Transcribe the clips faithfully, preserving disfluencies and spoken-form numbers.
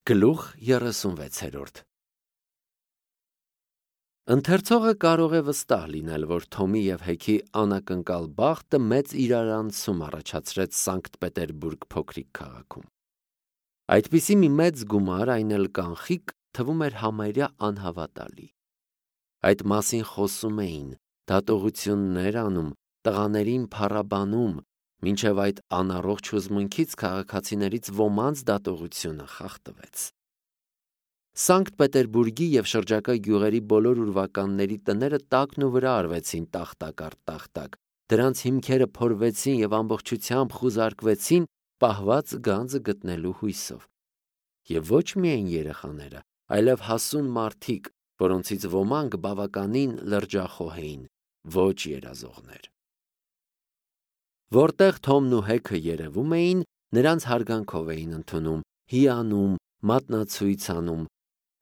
Գլուխ երեսունվեցերորդ Ընթերցողը կարող է վստահ լինել, որ Թոմի և Հեքի անակնկալ բախտը մեծ իրարանցում առաջացրեց Սանկտ Պետերբուրգ փոքրիկ քաղաքում։ Այդպիսի մի մեծ գումար, այն էլ կանխիկ, թվում էր համարյա անհավատալի։ Այդ մասին խոսում էին, դատողություններ անում, տղաներին փառաբանում, մինչև այդ անառողջ հուզմունքից քաղաքացիներից ոմանց դատողությունը խախտվեց։ Սանկտ Պետերբուրգի և շրջակա գյուղերի բոլոր ուրվականների տները տակն ու վրա արվեցին տախտակ առ տախտակ, դրանց հիմքերը փորվեցին և ամբողջությամբ խուզարկվեցին պահված գանձը գտնելու հույսով։ Եվ ոչ միայն երեխաները, այլև հասուն մարդիկ, որոնցից ոմանք բավականին լրջախոհ էին, ոչ երազողներ։ Որտեղ Թոմն ու Հեքը երևում էին, նրանց հարգանքով էին ընդունում, հիանում, մատնացույց անում։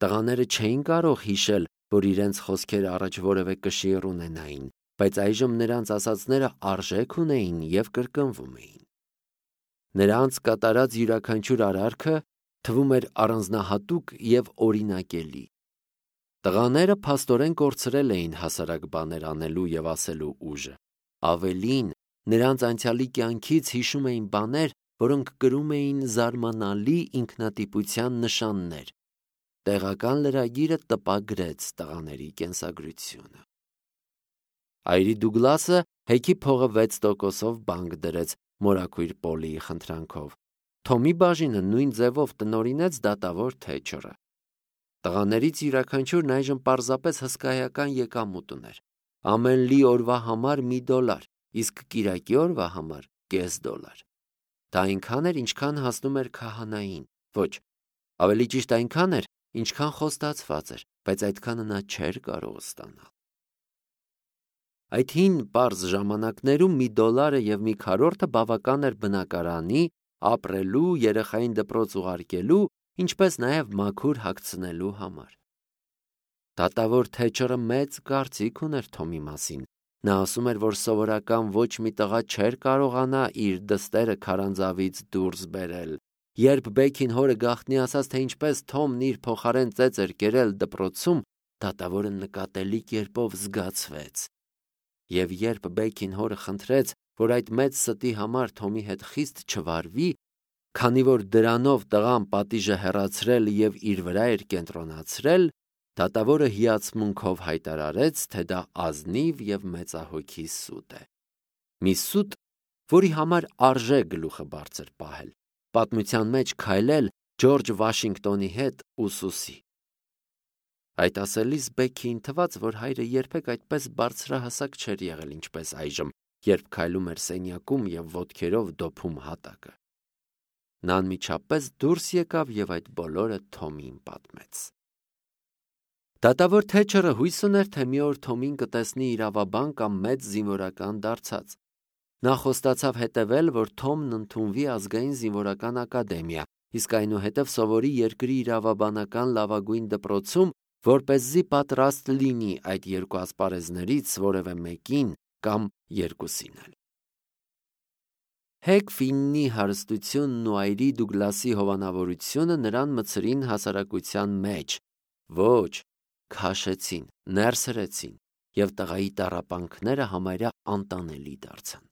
Տղաները չէին կարող հիշել, որ իրենց խոսքերը առաջ որևէ կշիռ ունենային, բայց այժմ նրանց ասածները արժեք ունեին և կրկնվում էին։ Նրանց կատարած յուրաքանչյուր արարքը թվում էր առանձնահատուկ և օրինակելի։ Տղաները փաստորեն կորցրել էին հասարակ բաներ անելու և ասելու ուժը։ Ավելին, նրանց անցյալի կյանքից հիշում էին բաներ, որոնք կրում էին զարմանալի ինքնատիպության նշաններ։ Տեղական լրագիրը տպագրեց տղաների կենսագրությունը։ Այրի Դուգլասը Հեքի փողը վեց տոկոսով բանկ դրեց մորաքույր Պոլիի խնդրանքով։ Թոմի բաժինը նույն ձևով տնօրինեց դատավոր Թեչերը։ Տղաներից յուրաքանչյուրն այժմ պարզապես հսկայական եկամուտ ուներ։ Ամեն լի օրվա համար մի դոլար, իսկ կիրակի օրվա համար կես դոլար։ Դա այնքան էր, ինչքան հասնում էր քահանային։ Ոչ, ավելի ճիշտ այնքան էր, ինչքան խոստացված էր, բայց այդքանը նա չէր կարող ստանալ։ Այդ հին պարզ ժամանակներում մի դոլարը և մի քառորդը բավական էր բնակարանի, ապրելու, երեխային դպրոց ուղարկելու, ինչպես նաև մաքուր հագցնելու համար։ Դատավոր Թեչերը մեծ կարծիք ուներ Թոմի մասին։ Նա ասում էր, որ սովորական ոչ մի տղա չէր կարողանա իր դստերը քարանձավից դուրս բերել։ Երբ Բեքին հորը գաղտնի ասաց, թե ինչպես Թոմն իր փոխարեն ծեծ էր կերել դպրոցում, դատավորը նկատելի կերպով զգացվեց։ Եվ երբ Բեքին հորը խնդրեց, որ այդ մեծ ստի համար Թոմի հետ խիստ չվարվի, քանի որ դրանով տղան պատիժը հեռացրել և իր վրա էր կենտրոնացրել, դատավորը հիացմունքով հայտարարեց, թե դա ազնիվ և մեծահոգի սուտ է։ Մի սուտ, որի համար արժե գլուխը բարձր պահել, պատմության մեջ քայլել Ջորջ Վաշինգտոնի հետ ուսուսի։ Այդ ասելիս Բեքիին թվաց, որ հայրը երբեք այդպես բարձրահասակ չէր եղել, ինչպես այժմ, երբ քայլում էր սենյակում և ոտքերով դոփում հատակը։ Նա անմիջապես դուրս եկավ և այդ բոլորը Թոմին պատմեց։ Դատավոր Թեչերը հույս ուներ, թե մի օր Թոմին կտեսնի իրավաբան կամ մեծ զինվորական դարձած։ Նա խոստացավ հետևել, որ Թոմն ընդունվի ազգային զինվորական ակադեմիա, իսկ այնուհետև սովորի երկրի իրավաբանական լավագույն դպրոցում, որպեսզի պատրաստ լինի այդ երկու ասպարեզներից որևէ մեկին կամ երկուսին էլ։ Հեկ Ֆիննի հարստությունն ու այրի Դուգլասի հովանավորությունը նրան մտցրին հասարակության մեջ, ոչ, քաշեցին, ներսրեցին, և տղայի տառապանքները համարյա անտանելի դարձան։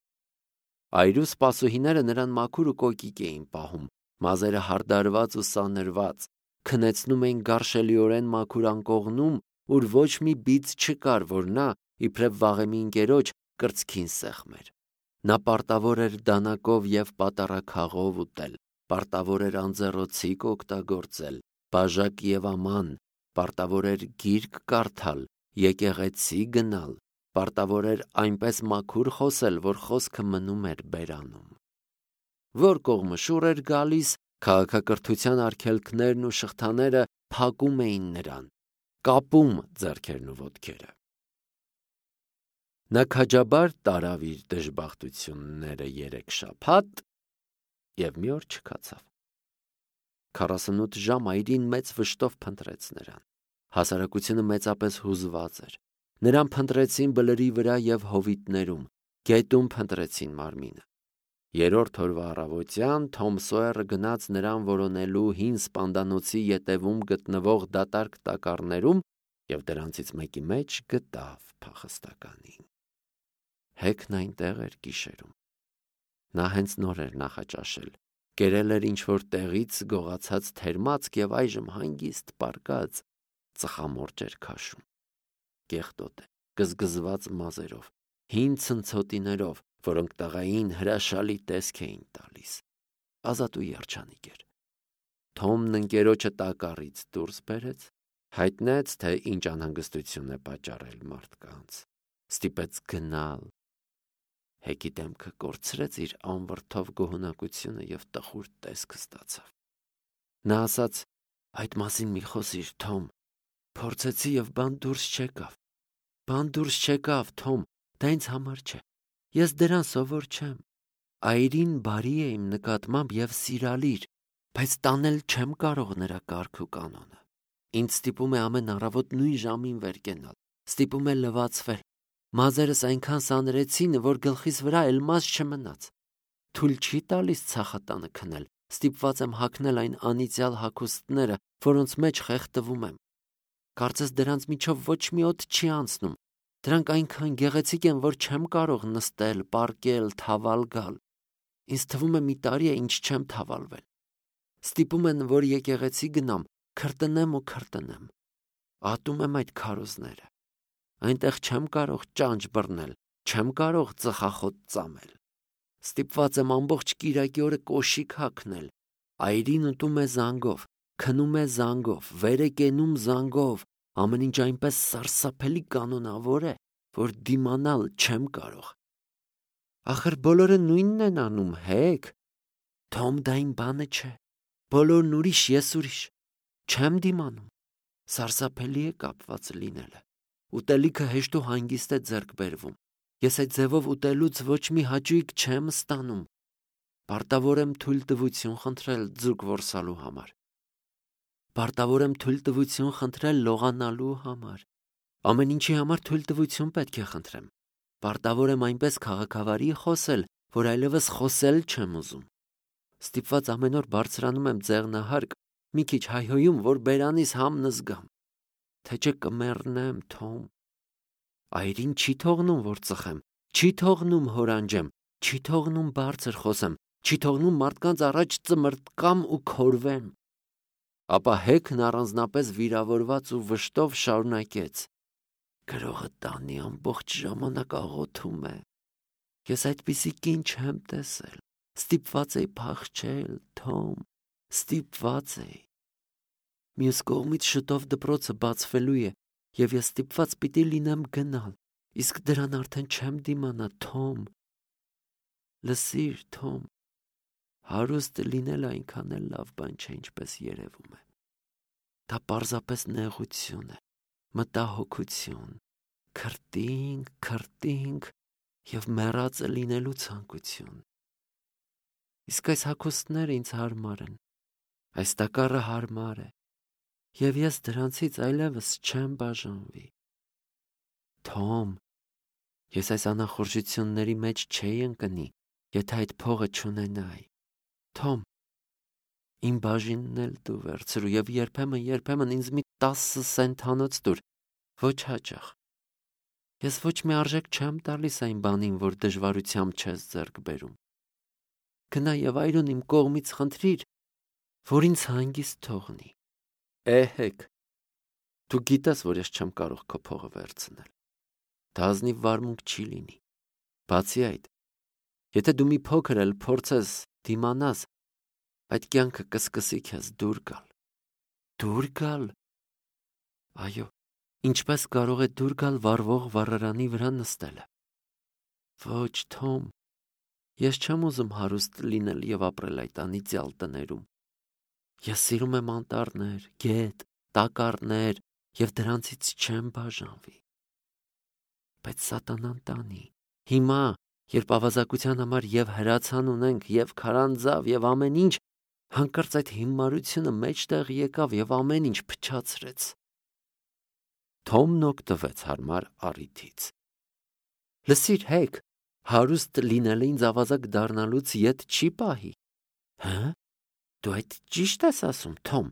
Այրու սպասուհիները նրան մաքուր ու կոկիկ էին պահում, մազերը հարդարված ու սանրված, քնեցնում էին գարշելիորեն մաքուր անկողնում, ուր ոչ մի բիծ չկար, որ նա, իբրև վաղեմի ընկերոջ, կրծքին սեղմեր։ Նա պարտավոր էր դանակով և պատառաքաղով ուտել, պարտավոր էր անձեռոցիկ օգտագործել, բաժակ և աման, պարտավոր էր գիրք կարդալ, եկեղեցի գնալ, պարտավոր էր այնպես մաքուր խոսել, որ խոսքը մնում էր բերանում։ Որ կողմը շուռ էր գալիս, քաղաքակրթության արգելքներն ու շղթաները փակում էին նրան, կապում ձեռքերն ու ոտքերը։ Նա քաջաբար տարավ իր դժբախտությունները երեք շաբաթ և մի օր չքացավ։ Քառասունութ ժամ այրին մեծ վշտով փնտրեց նրան։ Հասարակությունը մեծապես հուզված էր։ Նրան փնտրեցին բլրի վրա և հովիտներում, գետում փնտրեցին մարմինը։ Երրորդ օրվա առավոտյան Թոմ Սոյերը գնաց նրան որոնելու հին սպանդանոցի ետևում գտնվող դատարկ տակառներում և դրանցից մեկի մեջ գտավ փախստականին։ Հեքն այնտեղ էր գիշերում։ Նա հենց նոր էր նախաճաշել, կերել էր ինչ-որ տեղից գողացած թերմացք և այժմ հանգիստ պառկած ծխամորճ էր քաշում։ Կեղտոտ է, գզգզված մազերով, հին ցնցոտիներով, որոնք տղային հրաշալի տեսք էին տալիս։ Ազատ ու երջանիկ էր։ Թոմն ընկերոջը տակառից դուրս բերեց, հայտնեց, թե ինչ անհանգստություն է պատճառել մարդկանց, ստիպեց գնալ։ Հեքի դեմքը կորցրեց իր անվրդով գոհունակությունը և տխուր տեսք ստացավ։ Նա ասաց. «Այդ մասին մի խոսիր, Թոմ։ Փորձեցի և բան դուրս չեկավ։ Բան դուրս չեկավ, Թոմ, դա ինձ համար չէ։ Ես դրան սովոր չեմ։ Այրին բարի է իմ նկատմամբ և սիրալիր, բայց տանել չեմ կարող նրա կարգ ու կանոնը։ Ինձ ստիպում է ամեն առավոտ նույն ժամին վեր կենալ, ստիպում է լվացվել։ Մազերս այնքան սանրեցին, որ գլխիս վրա էլ մազ չմնաց։ Թույլ չի տալիս ցախատանը քնել, ստիպված եմ հագնել այն անիծյալ հագուստները, որոնց մեջ խեղդվում եմ։ Կարծես դրանց միջով ոչ մի օդ չի անցնում։ Դրանք այնքան գեղեցիկ են, որ չեմ կարող նստել, պառկել, թավալ գալ։ Ինձ թվում է մի տարի է, ինչ չեմ թավալվել։ Ստիպում են, որ եկեղեցի գնամ, քրտնեմ ու քրտնեմ։ Ատում եմ այդ քարոզները։ Այնտեղ չեմ կարող ճանճ բռնել, չեմ կարող ծխախոտ ծամել։ Ստիպված եմ ամբողջ կիրակի օրը կոշիկ հագնել։ Այրին ուտում է զանգով, քնում է զանգով, վեր է կենում զանգով, ամեն ինչ այնպես սարսափելի կանոնավոր է, որ դիմանալ չեմ կարող։ Ախր բոլորը նույնն են անում, Հեք։ Թոմ, դա իմ բանը չէ։ Բոլորն ուրիշ, ես ուրիշ։ Չեմ դիմանում։ Սարսափելի է կապված լինելը։ Ուտելիքը հեշտ ու հանգիստ է ձեռք բերվում։ Ես այդ ձևով ուտելուց ոչ մի հաճույք չեմ ստանում։ Պարտավոր եմ թույլտվություն խնդրել ձուկ որսալու համար։ Պարտավոր եմ թույլտվություն խնդրել լողանալու համար։ Ամեն ինչի համար թույլտվություն պետք է խնդրեմ։ Պարտավոր եմ այնպես քաղաքավարի խոսել, որ այլևս խոսել չեմ ուզում։ Ստիպված ամեն օր բարձրանում եմ ձեղնահարկ, մի քիչ հայհոյում, որ բերանիս համն զգամ։ Թե չէ կմեռնեմ, Թոմ։ Այրին չի թողնում, որ ծխեմ, չի թողնում հորանջեմ, չի թողնում բարձր խոսեմ, չի թողնում մարդկանց առաջ ծմրտկամ ու քորվեմ։ Ապա Հեքն առանձնապես վիրավորված ու վշտով շարունակեց. Գրողը տանի ամբողջ ժամանակ աղոթում է։ Ես այդպիսի կին չեմ տեսել։ Ստիպված էի փախչել, Թոմ, ստիպված էի։ Մյուս կողմից շուտով դպրոցը բացվելու է, և ես ստիպված պիտի լինեմ գնալ, իսկ դրան արդեն չեմ դիմանա, Թոմ։ Լսիր, Թոմ, հարուստ լինելը այնքան էլ լավ բան չէ, ինչպես երևում է։ Դա պարզապես նեղություն է, մտահոգություն, քրտինք, քրտինք և մեռածը լինելու ցանկություն։ Իսկ այս հագուստները ինձ հարմար են, այս տակառը հարմար է, և ես դրանցից այլևս չեմ բաժանվի։ Թոմ, ես այս անախորժությունների մեջ չէի ընկնի, եթե այդ փողը չունենայի։ Թոմ, իմ բաժինն էլ դու վերցրու և երբեմն, երբեմն ինձ մի տասը սենթանոց տուր, ոչ հաճախ։ Ես ոչ մի արժեք չեմ տալիս այն բանին, որ դժվարությամբ չես ձեռք բերում։ Գնա և այրուն իմ կողմից խնդրիր, որ ինձ հանգիստ թողնի։ Է, Հեք, դու գիտես, որ ես չեմ կարող քո փողը վերցնել։ Դա ազնիվ վարմունք չի լինի։ Բացի այդ, եթե դու մի փոքր էլ փորձես դիմանաս, այդ կյանքը կսկսի քեզ դուր գալ։ Դուր գալ։ Այո, ինչպես կարող է դուր գալ վառվող վառարանի վրա նստելը։ Ոչ, Թոմ, ես չեմ ուզում հարուստ լինել և ապրել այդ անիծյալ տներում։ Ես սիրում եմ անտառներ, գետ, տակառներ և դրանցից չեմ բաժանվի։ Բայց սատանան տանի։ Հիմա, երբ ավազակության համար և հրացան ունենք, և քարանձավ, և ամեն ինչ, հանկարծ այդ հիմարությունը մեջտեղ եկավ և ամեն ինչ փչացրեց։ Թոմն օգտվեց հարմար առիթից։ Լսիր, Հեք, հարուստ լինելը ինձ ավազակ դառնալուց ետ չի պահի։ Հա՞, դու այդ ճիշտ ես ասում, Թոմ։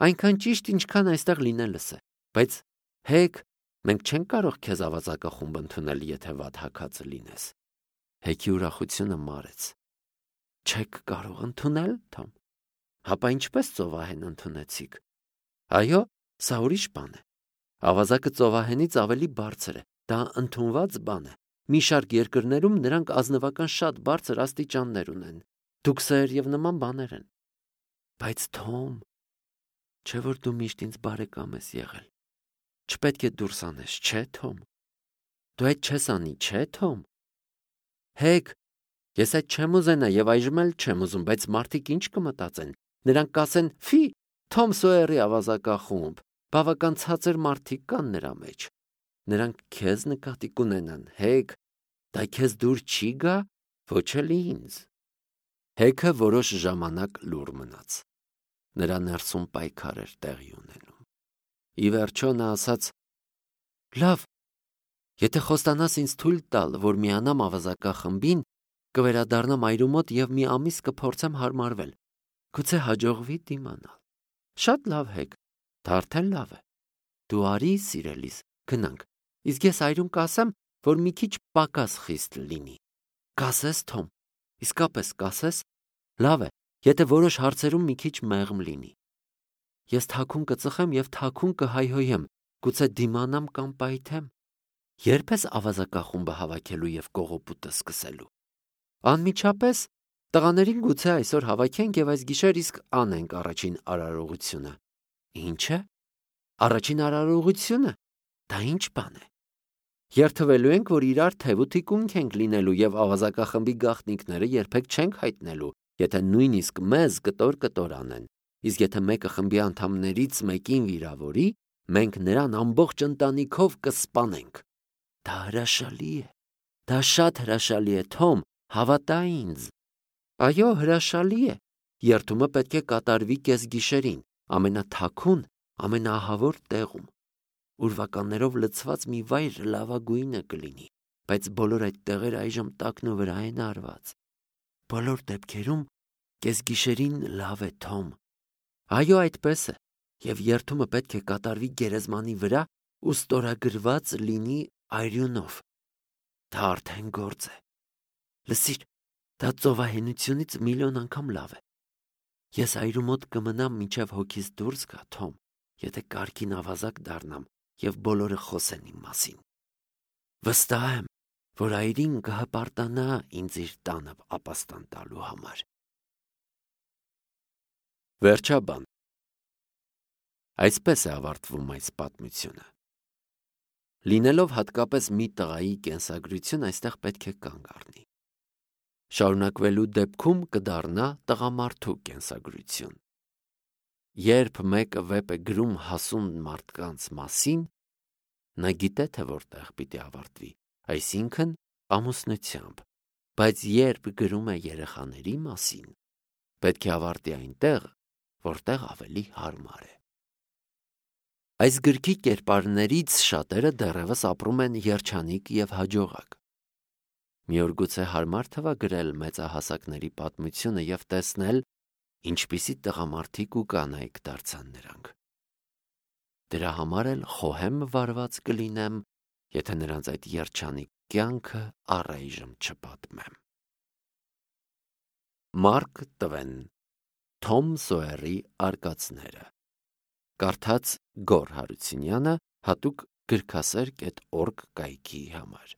Այնքան ճիշտ, ինչքան այստեղ լինելս է, բայց հեկ, մենք չենք կարող քեզ ավազակախումբ ընդունել, եթե վատ հագած լինես։ Հեքի ուրախությունը մարեց։ Չեք կարող ընդունել, Թոմ։ Հապա ինչպես ծովահեն ընդունեցիք։ Այո, սա ուրիշ բան է։ Ավազակը ծովահենից ավելի բարձր է, դա ընդունված բան է։ Մի շարք երկրներում նրանք ազնվական շատ բարձր աստիճաններ ունեն, դուքսեր եւ նման բաներ են։ Բայց Թոմ, չէ՞ որ դու միշտ ինձ բարեկամ ես եղել։ Չպետք է դուրս անես, չէ՞ Թոմ։ Դու այդ չես անի, չէ՞ Թոմ։ Հեկ, ես այդ չեմ ուզենա եւ այժմ էլ չեմ ուզում, բայց մարդիկ ինչ կմտածեն։ Նրանք կասեն՝ «Ֆի, Թոմ Սոյերի ավազակախումբ, բավական ցածր մարդիկ կան նրա մեջ»։ Նրանք քեզ նկատի կունենան, Հեկ, դա քեզ դուր չի գա, ոչ էլ ինձ։ Հեքը որոշ ժամանակ լուռ մնաց։ Նրա ներսում պայքար էր տեղի ունենում։ Ի վերջո նա ասաց. «Լավ, եթե խոստանաս ինձ թույլ տալ, որ միանամ ավազակախմբին, կվերադառնամ այրու մոտ եւ մի ամիս կփորձեմ հարմարվել։ Գուցե հաջողվի դիմանալ»։ Շատ լավ, Հեկ, դա արդեն լավ է։ Դու արի, սիրելիս, գնանք։ Իսկ ես այրուն կասեմ, որ մի քիչ պակաս խիստ լինի։ Կասես, Թոմ, իսկապես կասես։ Լավ է, եթե որոշ հարցերում մի քիչ մեղմ լինի։ Ես թաքուն կծխեմ եւ թաքուն կհայհոյեմ, գուցե դիմանամ կամ պայթեմ։ Երբ ես ավազակախումբը հավաքելու եւ կողոպուտը սկսելու։ Անմիջապես տղաներին գուցե այսօր հավաքենք եւ այս գիշեր իսկ անենք առաջին արարողությունը։ Ինչ է։ Առաջին արարողությունը։ Դա ինչ բան է։ Երթվելու ենք, որ իրար թև ու թիկունք ենք լինելու եւ ավազակախմբի գաղտնիքները երբեք չենք հայտնելու, եթե նույնիսկ մեզ կտոր-կտոր անեն։ Իսկ եթե մեկը խմբի անդամներից մեկին վիրավորի, մենք նրան ամբողջ ընտանիքով կսպանենք։ Դա հրաշալի է։ Դա շատ հրաշալի է, Թոմ, հավատա ինձ։ Այո, հրաշալի է։ Երթումը պետք է կատարվի կեսգիշերին, ամենաթաքուն, ամենաահավոր տեղում։ Ուրվականներով լցված մի վայր լավագույնը կլինի, բայց բոլոր այդ տեղերը այժմ տակն ու վրա են արված։ Բոլոր դեպքերում կեսգիշերին լավ է, Թոմ։ Այո, այդպես է, եւ երթումը պետք է կատարվի գերեզմանի վրա ու ստորագրված լինի այրյունով։ Դա արդեն գործ է։ Լսիր, դա ծովահենությունից միլիոն անգամ լավ է։ Ես այրու մոտ կմնամ մինչև հոգիս դուրս գա, Թոմ, եթե կարգին ավազակ դառնամ եւ բոլորը խոսեն իմ մասին։ Վստահ եմ, որ այրին կհպարտանա ինձ իր տանը ապաստան տալու համար։ Վերջաբան։ Այսպես է ավարտվում այս պատմությունը։ Լինելով հատկապես մի տղայի կենսագրություն, այստեղ պետք է կանգ առնի։ Շարունակվելու դեպքում կդառնա տղամարդու կենսագրություն։ Երբ մեկը վեպ է գրում հասուն մարդկանց մասին, նա գիտե, թե որտեղ պիտի ավարտվի, այսինքն ամուսնությամբ, բայց երբ գրում է երեխաների մասին, պետք է ավարտի այնտեղ, որտեղ ավելի հարմար է։ Այս գրքի կերպարներից շատերը դեռևս ապրում են երջանիկ եւ հաջողակ։ Մի օր գուցե հարմար թվա գրել մեծահասակների պատմությունը եւ տեսնել, ինչպիսի տղամարդիկ ու կանայք դարձան նրանք։ Դրա համար էլ խոհեմ վարված կլինեմ, եթե նրանց այդ երջանիկ կյանքը առայժմ չպատմեմ։ Մարկ Տվեն, Թոմ Սոյերի արկածները։ Կարդաց Գոռ Հարությունյանը, հատուկ գրքասեր կետ օրգ կայքի համար։